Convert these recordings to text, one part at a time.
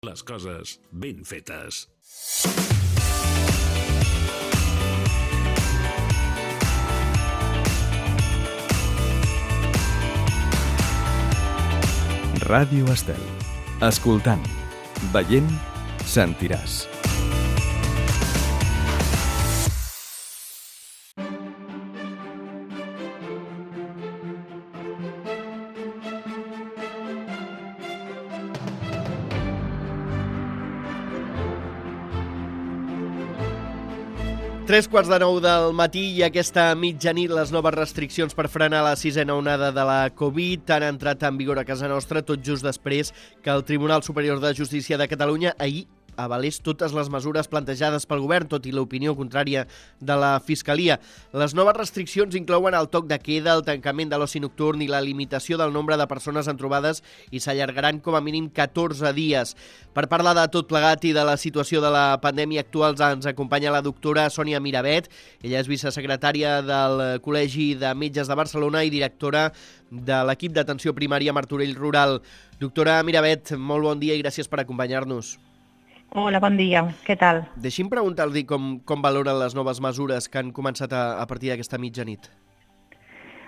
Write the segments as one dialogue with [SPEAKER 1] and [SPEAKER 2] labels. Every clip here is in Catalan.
[SPEAKER 1] Les coses ben fetes.
[SPEAKER 2] Ràdio Estel. Escoltant, veient, sentiràs.
[SPEAKER 3] Tres quarts de 9 del matí i aquesta mitjanit les noves restriccions per frenar la sisena onada de la Covid han entrat en vigor a casa nostra tot just després que el Tribunal Superior de Justícia de Catalunya ahir avalés totes les mesures plantejades pel govern, tot i l'opinió contrària de la Fiscalia. Les noves restriccions inclouen el toc de queda, el tancament de l'oci nocturn i la limitació del nombre de persones en trobades i s'allargaran com a mínim 14 dies. Per parlar de tot plegat i de la situació de la pandèmia actual ens acompanya la doctora Sònia Miravet. Ella és vicesecretària del Col·legi de Metges de Barcelona i directora de l'equip d'atenció primària Martorell Rural. Doctora Miravet, molt bon dia i gràcies per acompanyar-nos.
[SPEAKER 4] Hola, bon dia. Què tal?
[SPEAKER 3] Deixi'm preguntar-li com valoren les noves mesures que han començat a partir d'aquesta mitjanit.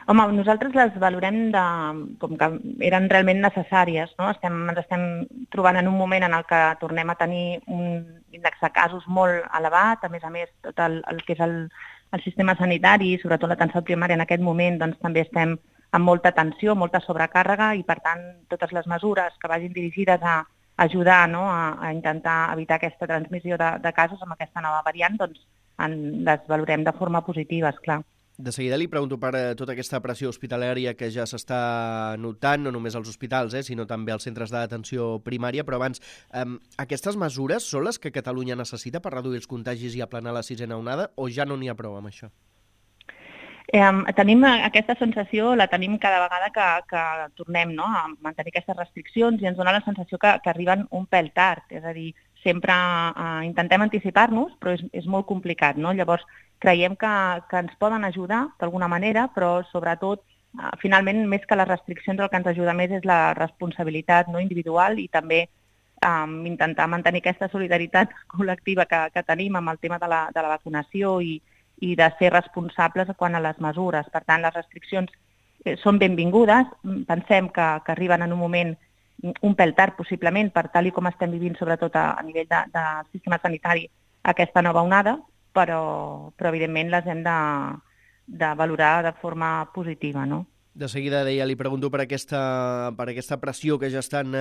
[SPEAKER 4] Home, nosaltres les valorem com que eren realment necessàries, no? Ens estem trobant en un moment en el que tornem a tenir un índex de casos molt elevat, a més, tot el que és el sistema sanitari, sobretot l'atenció primària en aquest moment, doncs també estem amb molta tensió, molta sobrecàrrega i, per tant, totes les mesures que vagin dirigides a ajudar, no, a intentar evitar aquesta transmissió de casos amb aquesta nova variant, doncs les valorem de forma positiva, esclar.
[SPEAKER 3] De seguida li pregunto per tota aquesta pressió hospitalària que ja s'està notant, no només als hospitals, sinó també als centres d'atenció primària, però abans, aquestes mesures són les que Catalunya necessita per reduir els contagis i aplanar la sisena onada, o ja no n'hi ha prou amb això?
[SPEAKER 4] Tenim aquesta sensació, la tenim cada vegada que tornem, no, a mantenir aquestes restriccions i ens dona la sensació que arriben un pèl tard, és a dir, sempre intentem anticipar-nos, però és molt complicat, no? Llavors, creiem que ens poden ajudar d'alguna manera, però sobretot, finalment, més que les restriccions, el que ens ajuda més és la responsabilitat, no, individual i també intentar mantenir aquesta solidaritat col·lectiva que tenim amb el tema de la vacunació i de ser responsables quant a les mesures. Per tant, les restriccions són benvingudes. Pensem que arriben en un moment un pèl tard, possiblement, per tal i com estem vivint, sobretot a nivell del sistema sanitari, aquesta nova onada, però evidentment les hem de valorar de forma positiva, no?
[SPEAKER 3] De seguida, deia, li pregunto per aquesta pressió que ja estan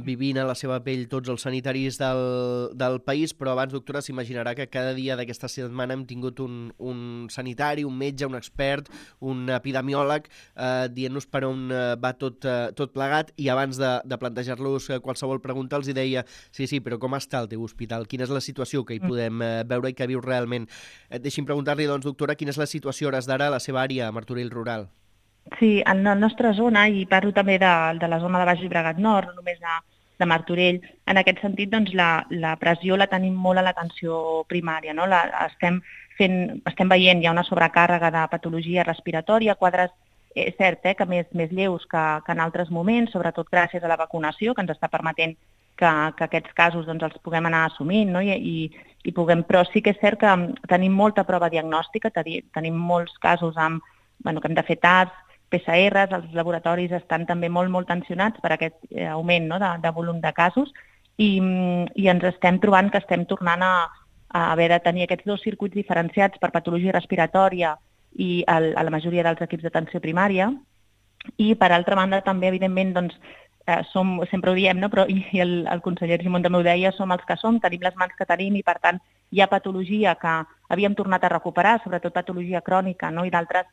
[SPEAKER 3] vivint a la seva pell tots els sanitaris del país, però abans, doctora, s'imaginarà que cada dia d'aquesta setmana hem tingut un sanitari, un metge, un expert, un epidemiòleg dient-nos per on va tot plegat, i abans de plantejar-los qualsevol pregunta els deia sí, però com està el teu hospital? Quina és la situació que hi podem veure i que viu realment? Deixi'm preguntar-li, doncs, doctora, quina és la situació hores d'ara a la seva àrea, a Martorell Rural?
[SPEAKER 4] Sí, en la nostra zona, i parlo també de la zona de Baix Llobregat Nord, no només de Martorell, en aquest sentit doncs, la pressió la tenim molt a l'atenció primària, no? Estem veient ja una sobrecàrrega de patologia respiratòria, quadres, és cert, que més lleus que en altres moments, sobretot gràcies a la vacunació, que ens està permetent que aquests casos doncs, els puguem anar assumint, no? I puguem, però sí que és cert que tenim molta prova diagnòstica, tenim molts casos que hem de fer tasts, PCRs, els laboratoris estan també molt tensionats per aquest augment, no, de volum de casos i ens estem trobant que estem tornant a haver de tenir aquests dos circuits diferenciats per patologia respiratòria i a la majoria dels equips d'atenció primària. I per altra banda també, evidentment, doncs, sempre ho diem, no? Però i el conseller Argimon també ho deia, som els que som, tenim les mans que tenim i per tant hi ha patologia que havíem tornat a recuperar, sobretot patologia crònica, no? I d'altres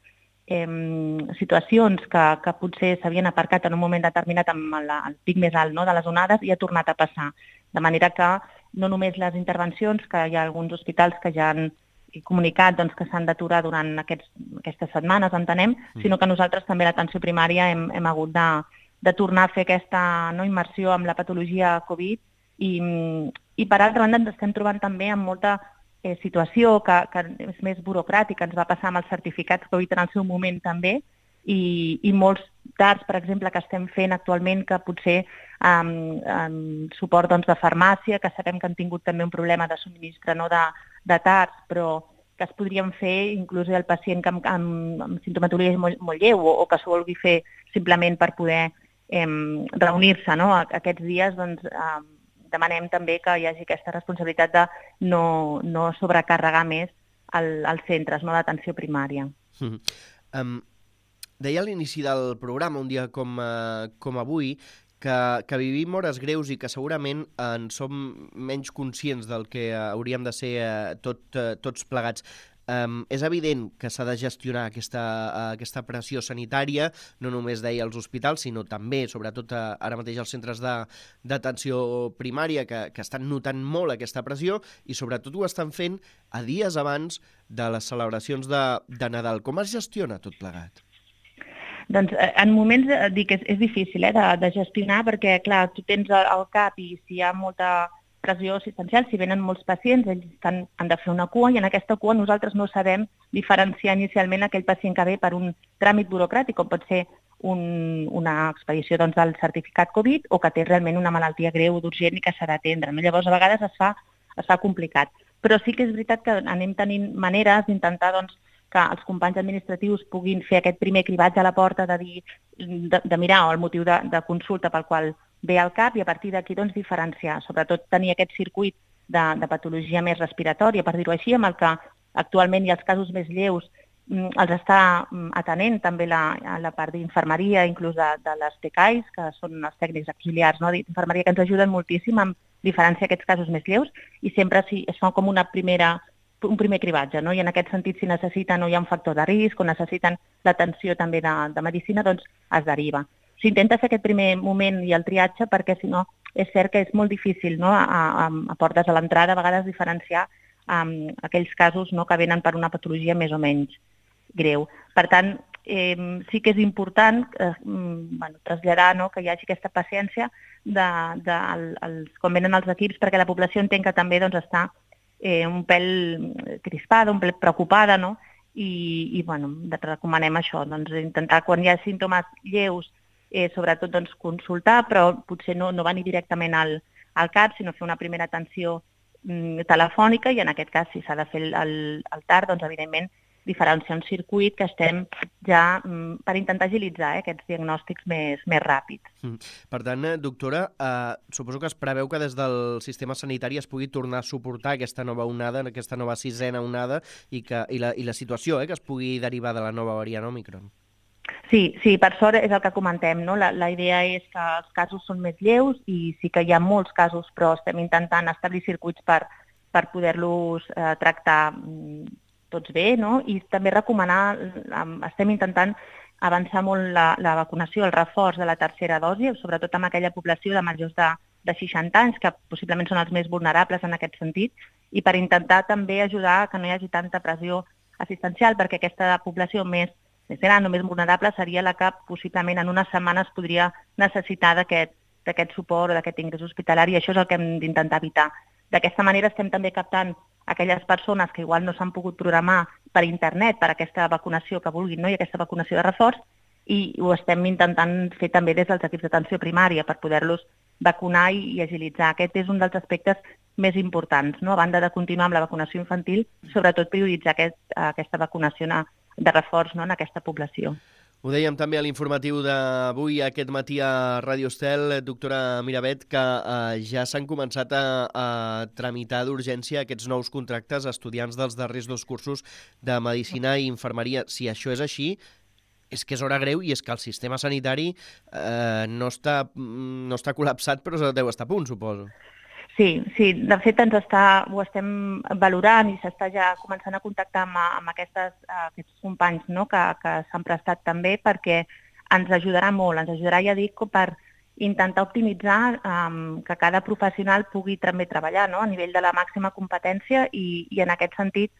[SPEAKER 4] situacions que potser s'havien aparcat en un moment determinat amb el pic més alt, no, de les onades i ha tornat a passar. De manera que no només les intervencions, que hi ha alguns hospitals que ja han comunicat doncs, que s'han d'aturar durant aquestes setmanes, entenem, sinó que nosaltres també a l'atenció primària hem hagut de tornar a fer aquesta immersió amb la patologia Covid i per altra banda ens estem trobant també amb molta situació que és més burocràtica, ens va passar amb els certificats Covid en el seu moment també, i molts TARs, per exemple, que estem fent actualment, que potser suport de farmàcia, que sabem que han tingut també un problema de subministre de TARs, però que es podrien fer inclús el pacient amb simptomatologia molt lleu o que s'ho vulgui fer simplement per poder reunir-se aquests dies, doncs demanem també que hi hagi aquesta responsabilitat de no sobrecarregar més els centres d'atenció primària.
[SPEAKER 3] Deia a l'inici del programa, un dia com avui, que vivim hores greus i que segurament en som menys conscients del que hauríem de ser tots plegats. És evident que s'ha de gestionar aquesta pressió sanitària, no només deia als hospitals, sinó també, sobretot ara mateix als centres d'atenció primària, que estan notant molt aquesta pressió i sobretot ho estan fent a dies abans de les celebracions de Nadal. Com es gestiona tot plegat?
[SPEAKER 4] Doncs en moments dic que és difícil de gestionar perquè, clar, tu tens al cap i si hi ha molta pressió assistencial, si venen molts pacients, ells han de fer una cua i en aquesta cua nosaltres no sabem diferenciar inicialment aquell pacient que ve per un tràmit burocràtic, com pot ser una expedició del certificat Covid o que té realment una malaltia greu, d'urgent i que s'ha d'atendre. Llavors, a vegades es fa complicat. Però sí que és veritat que anem tenint maneres d'intentar que els companys administratius puguin fer aquest primer cribatge a la porta de mirar el motiu de consulta pel qual ve al cap i a partir d'aquí diferenciar, sobretot tenir aquest circuit de patologia més respiratòria, per dir-ho així, amb el que actualment hi ha els casos més lleus, els està atenent també la part d'infermeria, inclús de les TCAIs, que són els tècnics auxiliars d'infermeria, que ens ajuden moltíssim a diferenciar aquests casos més lleus i sempre es fa com un primer cribatge, i en aquest sentit si necessiten o hi ha un factor de risc o necessiten l'atenció també de medicina, doncs es deriva. S'intenta fer aquest primer moment i el triatge perquè si no és cert que és molt difícil a portes a l'entrada a vegades diferenciar aquells casos que venen per una patologia més o menys greu. Per tant, sí que és important traslladar que hi hagi aquesta paciència quan venen els equips perquè la població entén que també està un pèl crispada, un pèl preocupada, i recomanem això, intentar quan hi ha símptomes lleus, sobretot consultar, però potser no venir directament al CAP, sinó fer una primera atenció telefònica i en aquest cas, si s'ha de fer el TAR, evidentment diferenciar un circuit que estem ja per intentar agilitzar aquests diagnòstics més ràpids.
[SPEAKER 3] Per tant, doctora, suposo que es preveu que des del sistema sanitari es pugui tornar a suportar aquesta nova onada, aquesta nova sisena onada i la situació que es pugui derivar de la nova variant Òmicron.
[SPEAKER 4] Sí, per sort és el que comentem, La idea és que els casos són més lleus i sí que hi ha molts casos, però estem intentant establir circuits per poder-los tractar tots bé, i també recomanar, estem intentant avançar molt la vacunació, el reforç de la tercera dosi, sobretot amb aquella població de majors de 60 anys, que possiblement són els més vulnerables en aquest sentit, i per intentar també ajudar que no hi hagi tanta pressió assistencial, perquè aquesta població més gran o més vulnerable seria la que possiblement en unes setmanes podria necessitar d'aquest suport o d'aquest ingrés hospitalari, i això és el que hem d'intentar evitar. D'aquesta manera estem també captant aquelles persones que igual no s'han pogut programar per internet per aquesta vacunació que vulguin, i aquesta vacunació de reforç, i ho estem intentant fer també des dels equips d'atenció primària per poder-los vacunar i agilitzar. Aquest és un dels aspectes més importants, a banda de continuar amb la vacunació infantil, sobretot prioritzar aquesta vacunació de reforç en aquesta població.
[SPEAKER 3] Ho dèiem també a l'informatiu d'avui, aquest matí a Ràdio Estel, doctora Miravet, que ja s'han començat a tramitar d'urgència aquests nous contractes a estudiants dels darrers 2 cursos de Medicina i Infermeria. Si això és així, és que és hora greu i és que el sistema sanitari no està col·lapsat, però deu estar a punt, suposo.
[SPEAKER 4] Sí, de fet ho estem valorant i s'està ja començant a contactar amb aquests companys que s'han prestat també perquè ens ajudarà molt, ja dic, per intentar optimitzar que cada professional pugui també treballar a nivell de la màxima competència i en aquest sentit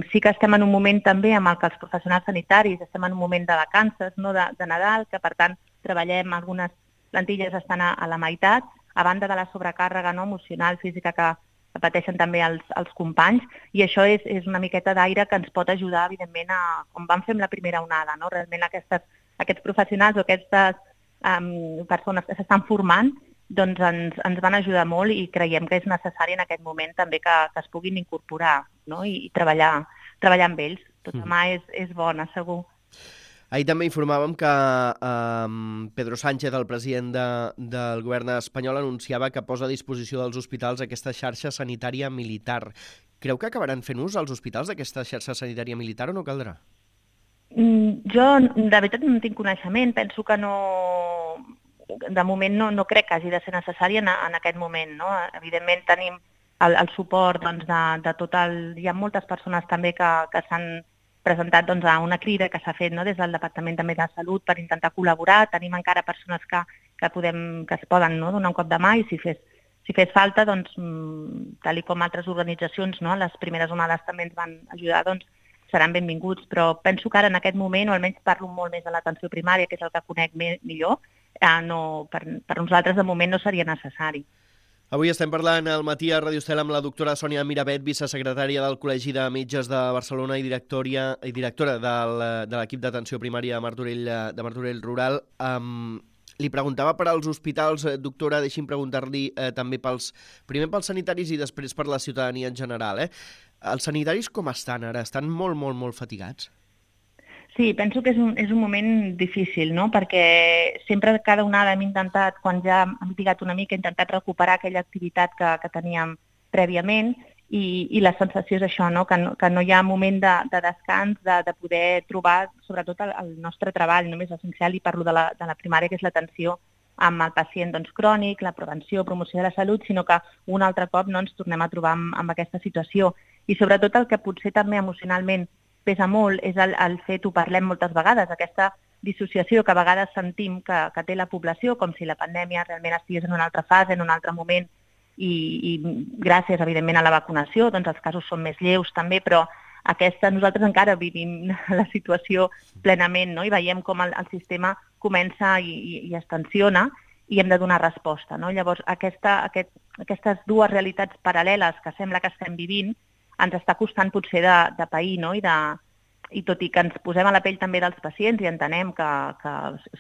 [SPEAKER 4] sí que estem en un moment també amb el que els professionals sanitaris estem en un moment de vacances, de Nadal, que per tant treballem, algunes plantilles estan a la meitat, a banda de la sobrecàrrega emocional, física que pateixen també els companys, i això és una miqueta d'aire que ens pot ajudar, evidentment, com vam fer amb la primera onada, no? Realment aquests professionals o aquestes persones que s'estan formant doncs ens van ajudar molt i creiem que és necessari en aquest moment també que es puguin incorporar, no? I treballar amb ells. Tota mà és bona, segur.
[SPEAKER 3] Ahir també informàvem que Pedro Sánchez, el president del govern espanyol, anunciava que posa a disposició dels hospitals aquesta xarxa sanitària militar. Creu que acabaran fent ús als hospitals d'aquesta xarxa sanitària militar o no caldrà?
[SPEAKER 4] Jo, de veritat, no en tinc coneixement. Penso que no... De moment no crec que hagi de ser necessari en aquest moment, no? Evidentment tenim el suport doncs, de tot el... Hi ha moltes persones també que s'han presentat doncs, a una crida que s'ha fet, no? Des del Departament també de Salut per intentar col·laborar. Tenim encara persones que es poden, no? Donar un cop de mà i si fes falta, doncs, tal com altres organitzacions, no? Les primeres onades també ens van ajudar, doncs seran benvinguts, però penso que ara en aquest moment, o almenys parlo molt més de l'atenció primària, que és el que conec millor, per nosaltres de moment no seria necessari.
[SPEAKER 3] Avui estem parlant al matí a Ràdio Estel amb la doctora Sònia Miravet, vicesecretària del Col·legi de Metges de Barcelona i directora de l'equip d'atenció primària de Martorell Rural. Li preguntava per als hospitals, doctora, deixi'm preguntar-li també primer pels sanitaris i després per la ciutadania en general. Els sanitaris com estan ara? Estan molt, molt, molt fatigats?
[SPEAKER 4] Sí, penso que és un moment difícil, no? Perquè sempre cada onada hem intentat, quan ja hem pigat una mica, intentat recuperar aquella activitat que teníem prèviament i la sensació és això, no? Que no hi ha moment de descans, de poder trobar sobretot el nostre treball, només essencial, i parlo de la primària, que és l'atenció amb el pacient crònic, la prevenció, promoció de la salut, sinó que un altre cop no ens tornem a trobar amb aquesta situació. I sobretot el que potser també emocionalment pesa molt és el fet, ho parlem moltes vegades, aquesta dissociació que a vegades sentim que té la població, com si la pandèmia realment estigués en una altra fase, en un altre moment, i gràcies, evidentment, a la vacunació, doncs els casos són més lleus també, però nosaltres encara vivim la situació plenament, no? I veiem com el sistema comença i es tensiona i hem de donar resposta, no? Llavors, aquestes dues realitats paral·leles que sembla que estem vivint ens està costant potser de pair, no? I tot i que ens posem a la pell també dels pacients i entenem que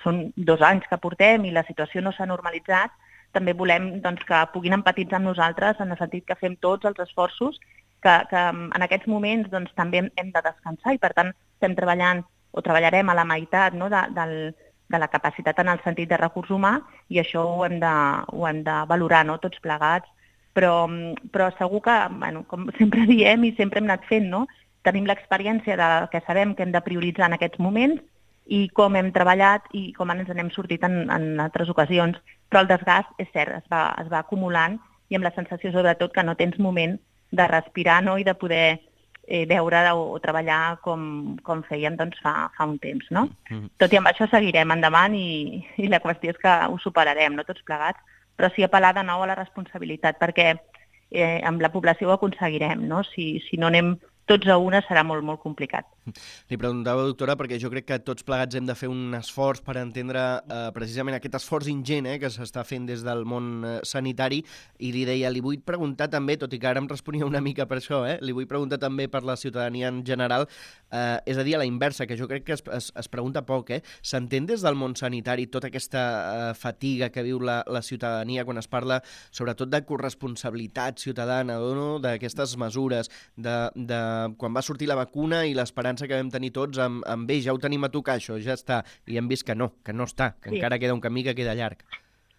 [SPEAKER 4] són 2 anys que portem i la situació no s'ha normalitzat, també volem doncs, que puguin empatitzar amb nosaltres en el sentit que fem tots els esforços que en aquests moments doncs, també hem de descansar i per tant estem treballant o treballarem a la meitat, no? de la capacitat en el sentit de recurs humà i això ho hem de valorar, no? Tots plegats, però segur que, bueno, com sempre diem i sempre hem anat fent, no? Tenim l'experiència que sabem que hem de prioritzar en aquests moments i com hem treballat i com ens n'hem sortit en altres ocasions, però el desgast, és cert, es va acumulant i amb la sensació sobretot que no tens moment de respirar, no? I de poder veure o treballar com fèiem doncs, fa un temps, no? Tot i amb això seguirem endavant i la qüestió és que ho superarem, no? Tots plegats, però sí apel·lar de nou a la responsabilitat, perquè amb la població ho aconseguirem, no? Si no anem tots a una serà molt, molt complicat.
[SPEAKER 3] Li preguntava, doctora, perquè jo crec que tots plegats hem de fer un esforç per entendre precisament aquest esforç ingent que s'està fent des del món sanitari, i li deia, li vull preguntar també, tot i que ara em responia una mica per això, li vull preguntar també per la ciutadania en general, és a dir, a la inversa, que jo crec que es pregunta poc, s'entén des del món sanitari tota aquesta fatiga que viu la ciutadania quan es parla sobretot de corresponsabilitat ciutadana, no? D'aquestes mesures, de quan va sortir la vacuna i l'esperança que vam tenir tots amb bé, ja ho tenim a tocar, això ja està, i hem vist que no està, que encara queda un camí que queda llarg.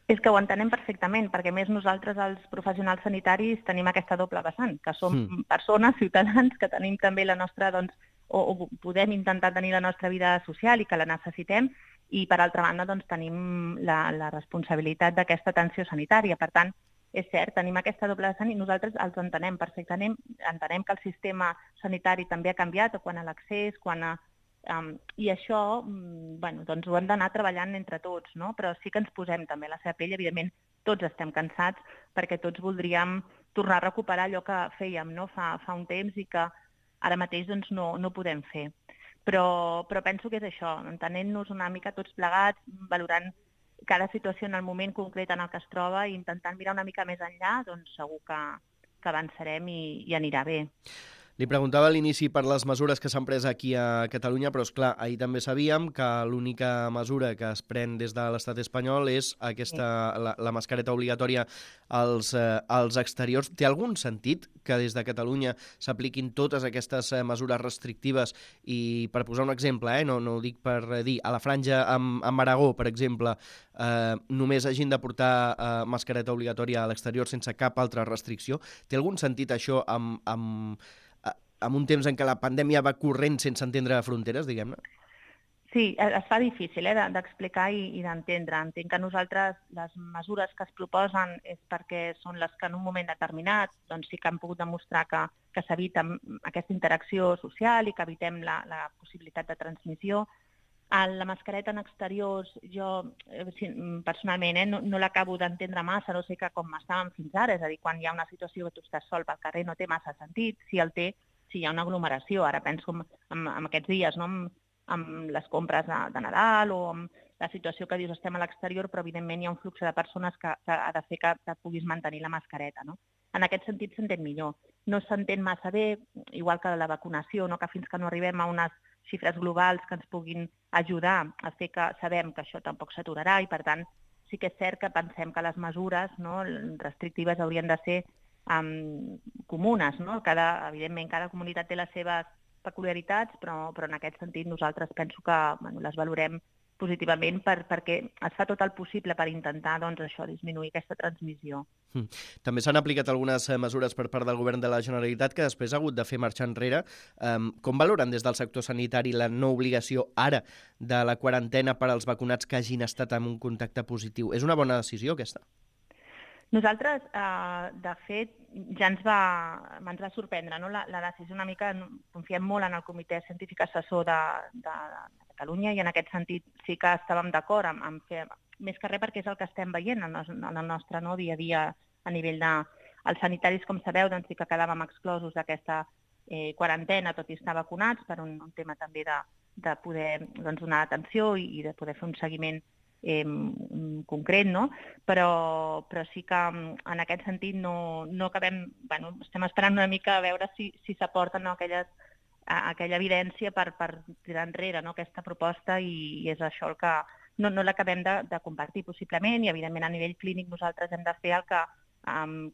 [SPEAKER 4] És que ho entenem perfectament, perquè més nosaltres, els professionals sanitaris, tenim aquesta doble vessant, que som persones, ciutadans, que tenim també la nostra, doncs, o podem intentar tenir la nostra vida social i que la necessitem, i per altra banda doncs, tenim la responsabilitat d'aquesta atenció sanitària. Per tant, és cert, tenim aquesta doble vessant i nosaltres els entenem perfectament, entenem que el sistema sanitari també ha canviat quan a l'accés, i això doncs ho hem d'anar treballant entre tots, no? Però sí que ens posem també a la seva pell, evidentment tots estem cansats perquè tots voldríem tornar a recuperar allò que fèiem, no? fa un temps i que ara mateix doncs, no podem fer. Però penso que és això, entenent-nos una mica tots plegats, valorant cada situació en el moment concret en el que es troba i intentant mirar una mica més enllà, doncs segur que avançarem i anirà bé.
[SPEAKER 3] Li preguntava a l'inici per les mesures que s'han pres aquí a Catalunya, però, esclar, ahir també sabíem que l'única mesura que es pren des de l'estat espanyol és la mascareta obligatòria als exteriors. Té algun sentit que des de Catalunya s'apliquin totes aquestes mesures restrictives i, per posar un exemple, no ho dic per dir, a la franja amb Aragó, per exemple, només hagin de portar mascareta obligatòria a l'exterior sense cap altra restricció? Té algun sentit això amb un temps en què la pandèmia va corrent sense entendre fronteres, diguem-ne?
[SPEAKER 4] Sí, es fa difícil d'explicar i d'entendre. Entenc que nosaltres les mesures que es proposen és perquè són les que en un moment determinat doncs sí que han pogut demostrar que s'evita aquesta interacció social i que evitem la possibilitat de transmissió. La mascareta en exteriors, jo personalment no l'acabo d'entendre massa, no sé que com estàvem fins ara, és a dir, quan hi ha una situació que tu estàs sol pel carrer no té massa sentit, si el té, si hi ha una aglomeració. Ara penso en aquests dies, no? Amb les compres de Nadal o amb la situació que dius estem a l'exterior, però evidentment hi ha un flux de persones que ha de fer que puguis mantenir la mascareta, no? En aquest sentit s'entén millor. No s'entén massa bé, igual que la vacunació, no? Que fins que no arribem a unes xifres globals que ens puguin ajudar a fer que sabem que això tampoc s'aturarà i, per tant, sí que és cert que pensem que les mesures restrictives haurien de ser comunes, no? Evidentment, cada comunitat té les seves peculiaritats, però en aquest sentit nosaltres penso que les valorem positivament perquè es fa tot el possible per intentar disminuir aquesta transmissió.
[SPEAKER 3] També s'han aplicat algunes mesures per part del govern de la Generalitat que després ha hagut de fer marxar enrere. Com valoren des del sector sanitari la no obligació ara de la quarantena per als vacunats que hagin estat en un contacte positiu? És una bona decisió aquesta?
[SPEAKER 4] Nosaltres, de fet, ja ens va sorprendre, no? La decisió una mica, confiem molt en el Comitè Científic Assessor de Catalunya i en aquest sentit sí que estàvem d'acord en fer, més que res perquè és el que estem veient en el nostre dia a dia a nivell de... Els sanitaris, com sabeu, doncs sí que quedàvem exclosos d'aquesta quarantena, tot i estar vacunats, per un tema també de poder donar atenció i de poder fer un seguiment concret, no? Però sí que en aquest sentit no acabem... estem esperant una mica a veure si s'aporten aquella evidència per tirar enrere aquesta proposta i és això el que no l'acabem de compartir possiblement i evidentment a nivell clínic nosaltres hem de fer el que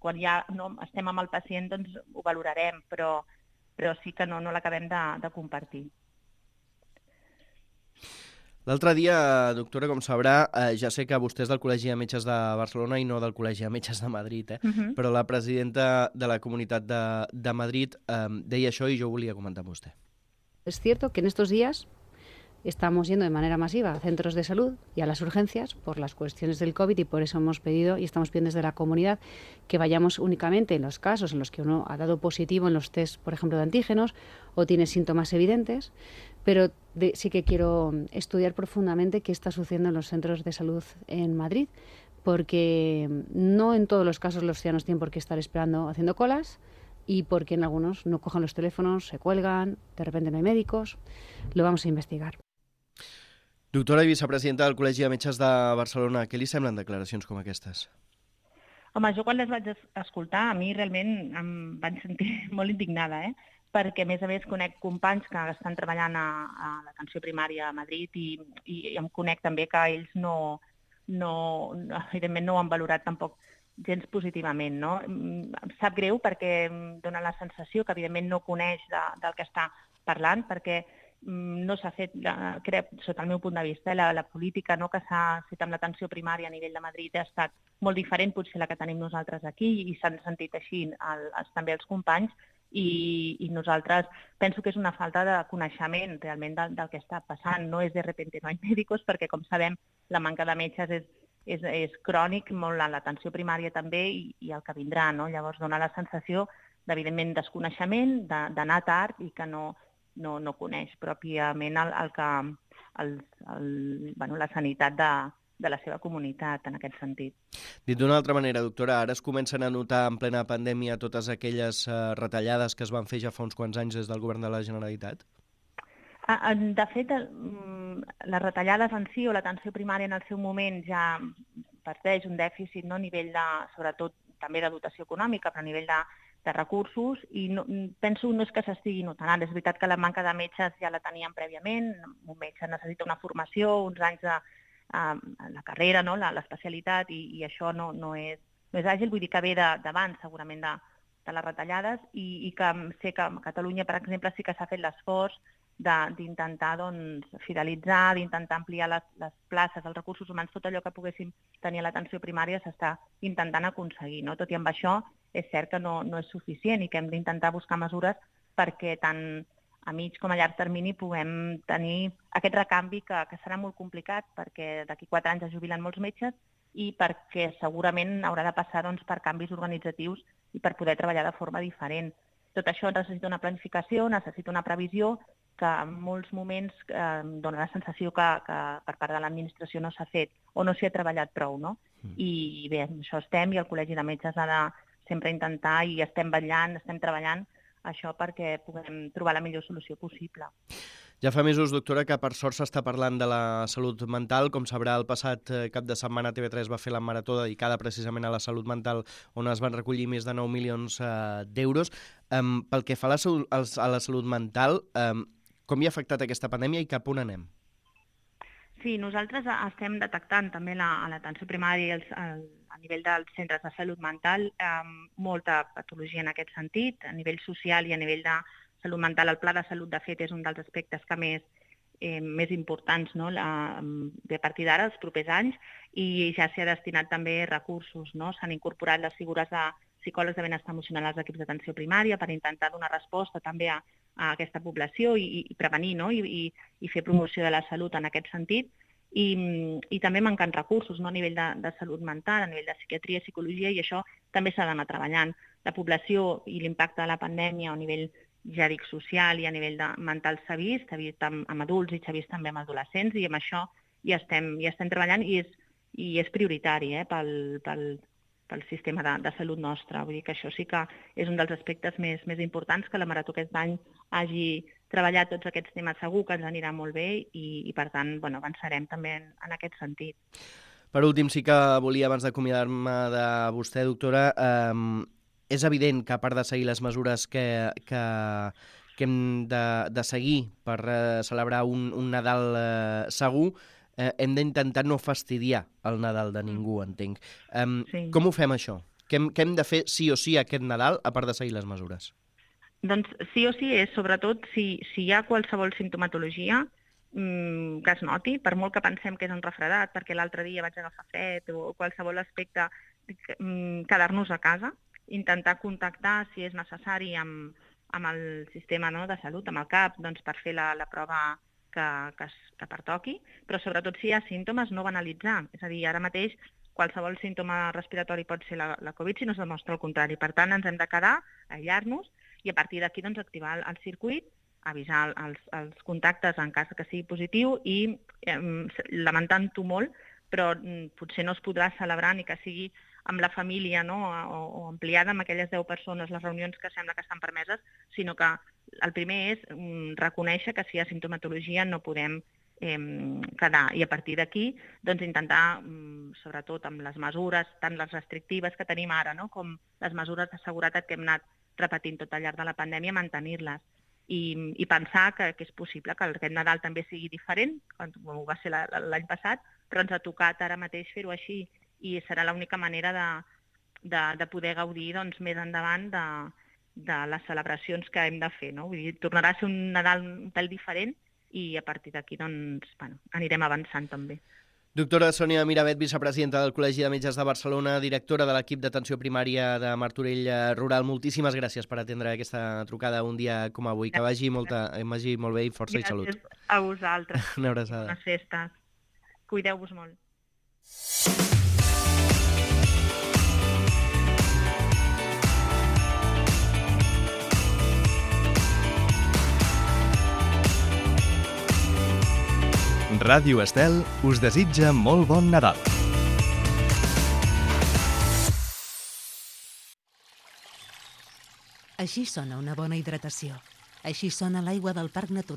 [SPEAKER 4] quan ja estem amb el pacient doncs ho valorarem, però sí que no l'acabem de compartir.
[SPEAKER 3] L'altre dia, doctora, com sabrà, ja sé que vostè és del Col·legi de Metges de Barcelona i no del Col·legi de Metges de Madrid, però la presidenta de la Comunitat de Madrid deia això i jo ho volia comentar amb vostè.
[SPEAKER 5] Es cierto que en estos días estamos yendo de manera masiva a centros de salud y a las urgencias por las cuestiones del COVID y por eso hemos pedido y estamos pidiendo desde la comunidad que vayamos únicamente en los casos en los que uno ha dado positivo en los test, por ejemplo, de antígenos o tiene síntomas evidentes, pero sí que quiero estudiar profundamente qué está sucediendo en los centros de salud en Madrid, porque no en todos los casos los ciudadanos tienen por qué estar esperando haciendo colas y porque en algunos no cogen los teléfonos, se cuelgan, de repente no hay médicos. Lo vamos a investigar.
[SPEAKER 3] Doctora i vicepresidenta del Col·legi de Metges de Barcelona, què li semblen declaracions com aquestes?
[SPEAKER 4] Home, jo quan les vaig escoltar, a mi realment em vaig sentir molt indignada, perquè a més conec companys que estan treballant a l'atenció primària a Madrid i em conec també que ells evidentment no ho han valorat tampoc gens positivament, no? Em sap greu perquè em dona la sensació que evidentment no coneix del que està parlant, perquè no s'ha fet, crec, sota el meu punt de vista, la política que s'ha fet amb l'atenció primària a nivell de Madrid ha estat molt diferent potser la que tenim nosaltres aquí i s'han sentit així també els companys i nosaltres penso que és una falta de coneixement realment del que està passant. No és de repente no hay médicos perquè, com sabem, la manca de metges és crònic, molt a l'atenció primària també i el que vindrà, no? Llavors dona la sensació d'evidentment desconeixement, d'anar tard i que no coneix pròpiament la sanitat de la seva comunitat en aquest sentit.
[SPEAKER 3] Dit d'una altra manera, doctora, ara es comencen a notar en plena pandèmia totes aquelles retallades que es van fer ja fa uns quants anys des del govern de la Generalitat?
[SPEAKER 4] De fet, les retallades en si o l'atenció primària en el seu moment ja parteix un dèficit, no? A nivell sobretot també de dotació econòmica, però a nivell recursos i penso no és que s'estigui notant ara. És veritat que la manca de metges ja la teníem prèviament, un metge necessita una formació, uns anys de la carrera, no? L'especialitat, i això no és àgil, vull dir que ve d'abans segurament de les retallades, i que sé que a Catalunya, per exemple, sí que s'ha fet l'esforç d'intentar fidelitzar, d'intentar ampliar les places, els recursos humans, tot allò que poguéssim tenir a l'atenció primària s'està intentant aconseguir, no? Tot i amb això és cert que no és suficient i que hem d'intentar buscar mesures perquè tant a mig com a llarg termini puguem tenir aquest recanvi que serà molt complicat perquè d'aquí 4 anys es jubilen molts metges i perquè segurament haurà de passar per canvis organitzatius i per poder treballar de forma diferent. Tot això necessita una planificació, necessita una previsió que en molts moments dona la sensació que per part de l'administració no s'ha fet o no s'hi ha treballat prou, no? I bé, això estem, i el Col·legi de Metges ha de sempre intentar, i estem vetllant, estem treballant això perquè puguem trobar la millor solució possible.
[SPEAKER 3] Ja fa mesos, doctora, que per sort s'està parlant de la salut mental. Com sabrà, el passat cap de setmana TV3 va fer la marató dedicada precisament a la salut mental, on es van recollir més de 9 milions d'euros. Pel que fa a la salut mental, com hi ha afectat aquesta pandèmia i cap on anem?
[SPEAKER 4] Sí, nosaltres estem detectant també a l'atenció primària i a nivell dels centres de salut mental molta patologia en aquest sentit, a nivell social i a nivell de salut mental. El pla de salut, de fet, és un dels aspectes que més importants, no? A partir d'ara, els propers anys, i ja s'hi ha destinat també recursos, no? S'han incorporat les figures de psicòlegs de benestar emocional als equips d'atenció primària per intentar donar resposta també a aquesta població i prevenir, no? I fer promoció de la salut en aquest sentit. I també manquen recursos, no? A nivell de salut mental, a nivell de psiquiatria, psicologia, i això també s'ha d'anar treballant. La població i l'impacte de la pandèmia a nivell, ja dic, social i a nivell mental s'ha vist amb adults i s'ha vist també amb adolescents, i amb això hi estem treballant i és prioritari pel sistema de salut nostre. Vull dir que això sí que és un dels aspectes més importants, que la marató aquest any hagi treballat tots aquests temes. Segur que ens anirà molt bé i per tant, avançarem també en aquest sentit.
[SPEAKER 3] Per últim, sí que volia, abans d'acomiadar-me de vostè, doctora, és evident que a part de seguir les mesures que hem de seguir per celebrar un Nadal segur, hem d'intentar no fastidiar el Nadal de ningú, entenc. Sí. Com ho fem, això? Què hem de fer sí o sí aquest Nadal, a part de seguir les mesures?
[SPEAKER 4] Doncs sí o sí és, sobretot, si hi ha qualsevol simptomatologia que es noti, per molt que pensem que és un refredat, perquè l'altre dia vaig agafar fred o qualsevol aspecte, quedar-nos a casa, intentar contactar, si és necessari, amb el sistema de salut, amb el CAP, per fer la prova que pertoqui, però sobretot si hi ha símptomes, no banalitzar. És a dir, ara mateix qualsevol símptoma respiratori pot ser la Covid si no es demostra el contrari. Per tant, ens hem de quedar, aïllar-nos i a partir d'aquí activar el circuit, avisar els contactes en cas que sigui positiu i, lamentant-ho molt, però potser no es podrà celebrar ni que sigui amb la família, no? o ampliada amb aquelles 10 persones, les reunions que sembla que estan permeses, sinó que el primer és reconèixer que si hi ha simptomatologia no podem quedar. I a partir d'aquí intentar, sobretot amb les mesures, tant les restrictives que tenim ara, no? com les mesures de seguretat que hem anat repetint tot al llarg de la pandèmia, mantenir-les. I pensar que és possible que aquest Nadal també sigui diferent, com ho va ser l'any passat, però ens ha tocat ara mateix fer-ho així i serà l'única manera de poder gaudir més endavant de les celebracions que hem de fer. No? Vull dir, tornarà a ser un Nadal un pèl diferent i a partir d'aquí anirem avançant també.
[SPEAKER 3] Doctora Sònia Miravet, vicepresidenta del Col·legi de Metges de Barcelona, directora de l'equip d'atenció primària de Martorell Rural, moltíssimes gràcies per atendre aquesta trucada un dia com avui. Que vagi molt bé i força i salut.
[SPEAKER 4] Gràcies a vosaltres.
[SPEAKER 3] Una abraçada.
[SPEAKER 4] Bones festes. Cuideu-vos molt.
[SPEAKER 2] Ràdio Estel us desitja molt bon Nadal.
[SPEAKER 6] Així sona una bona hidratació. Així sona l'aigua del Parc Natural